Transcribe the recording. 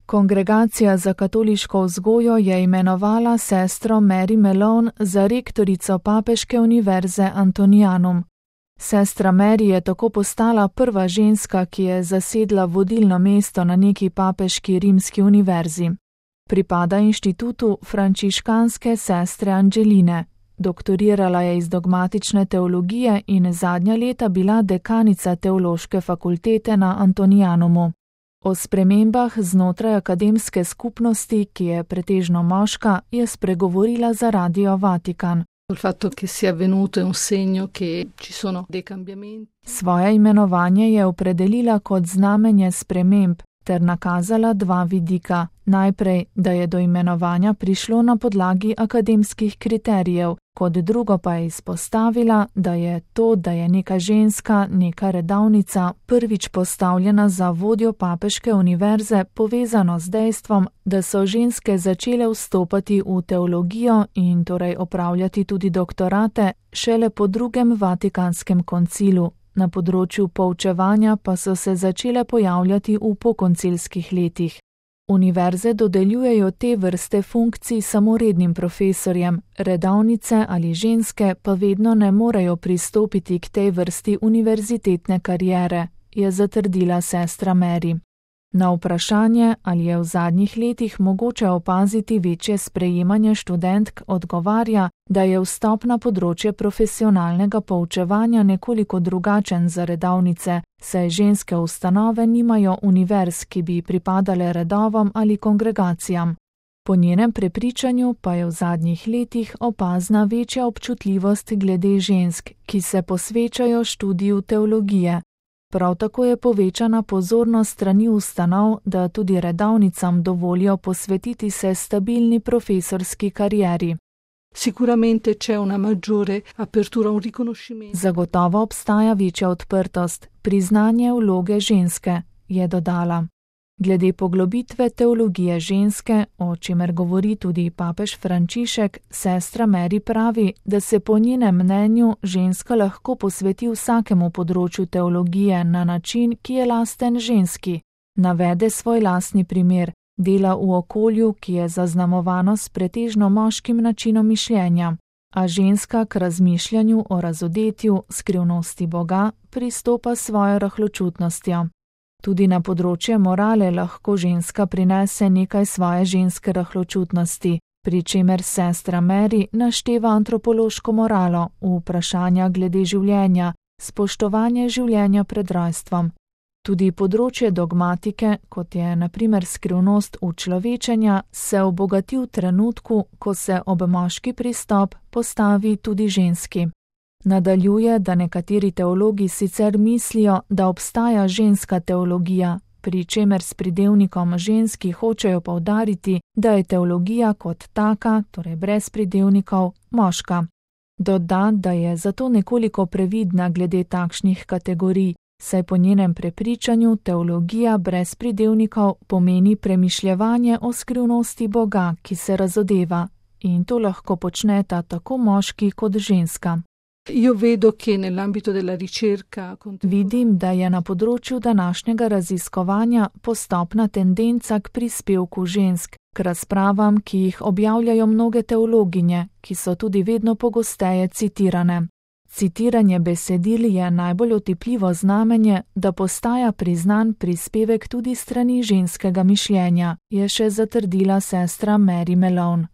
Kongregacija za katoliško vzgojo je imenovala sestro Mary Malone za rektorico papeške univerze Antonianum. Sestra Mary je tako postala prva ženska, ki je zasedla vodilno mesto na neki papeški rimski univerzi. Pripada inštitutu frančiškanske sestre Angeline. Doktorirala je iz dogmatične teologije in zadnja leta bila dekanica teološke fakultete na Antonianumu. O spremembah znotraj akademske skupnosti, ki je pretežno moška, je spregovorila za Radio Vatikan. Svoje imenovanje je opredelila kot znamenje sprememb ter nakazala dva vidika. Najprej, da je do imenovanja prišlo na podlagi akademskih kriterijev, kot drugo pa je izpostavila, da je to, da je neka ženska, neka redavnica, prvič postavljena za vodjo papeške univerze, povezano z dejstvom, da so ženske začele vstopati v teologijo in torej opravljati tudi doktorate šele po drugem Vatikanskem koncilu. Na področju poučevanja pa so se začele pojavljati v pokoncilskih letih. Univerze dodeljujejo te vrste funkcij samo rednim profesorjem, redavnice ali ženske pa vedno ne morejo pristopiti k tej vrsti univerzitetne kariere, je zatrdila sestra Mary. Na vprašanje, ali je v zadnjih letih mogoče opaziti večje sprejemanje študentk, odgovarja, da je vstop na področje profesionalnega poučevanja nekoliko drugačen za redavnice, saj ženske ustanove nimajo univerz, ki bi pripadale redovom ali kongregacijam. Po njenem prepričanju pa je v zadnjih letih opazna večja občutljivost glede žensk, ki se posvečajo študiju teologije. Prav tako je povečana pozornost strani ustanov, da tudi redavnicam dovolijo posvetiti se stabilni profesorski karieri. Zagotovo obstaja večja odprtost, priznanje vloge ženske, je dodala. Glede poglobitve teologije ženske, o čemer govori tudi papež Frančišek, sestra Mary pravi, da se po njenem mnenju ženska lahko posveti vsakemu področju teologije na način, ki je lasten ženski. Navede svoj lastni primer, dela v okolju, ki je zaznamovano s pretežno moškim načinom mišljenja, a ženska k razmišljanju o razodetju, skrivnosti Boga pristopa s svojo rahločutnostjo. Tudi na področje morale lahko ženska prinese nekaj svoje ženske rahločutnosti, pri čemer sestra Mary našteva antropološko moralo, vprašanja glede življenja, spoštovanje življenja pred rojstvom. Tudi področje dogmatike, kot je na primer skrivnost učlovečenja, se obogati v trenutku, ko se ob moški pristop postavi tudi ženski. Nadaljuje, da nekateri teologi sicer mislijo, da obstaja ženska teologija, pri čemer s pridevnikom ženski hočejo poudariti, da je teologija kot taka, torej brez pridevnikov, moška. Doda, da je zato nekoliko previdna glede takšnih kategorij, saj po njenem prepričanju teologija brez pridevnikov pomeni premišljevanje o skrivnosti Boga, ki se razodeva, in to lahko počneta tako moški kot ženska. Vidim, da je na področju današnjega raziskovanja postopna tendenca k prispevku žensk, k razpravam, ki jih objavljajo mnoge teologinje, ki so tudi vedno pogosteje citirane. Citiranje besedil je najbolj otipljivo znamenje, da postaja priznan prispevek tudi strani ženskega mišljenja, je še zatrdila sestra Mary Malone.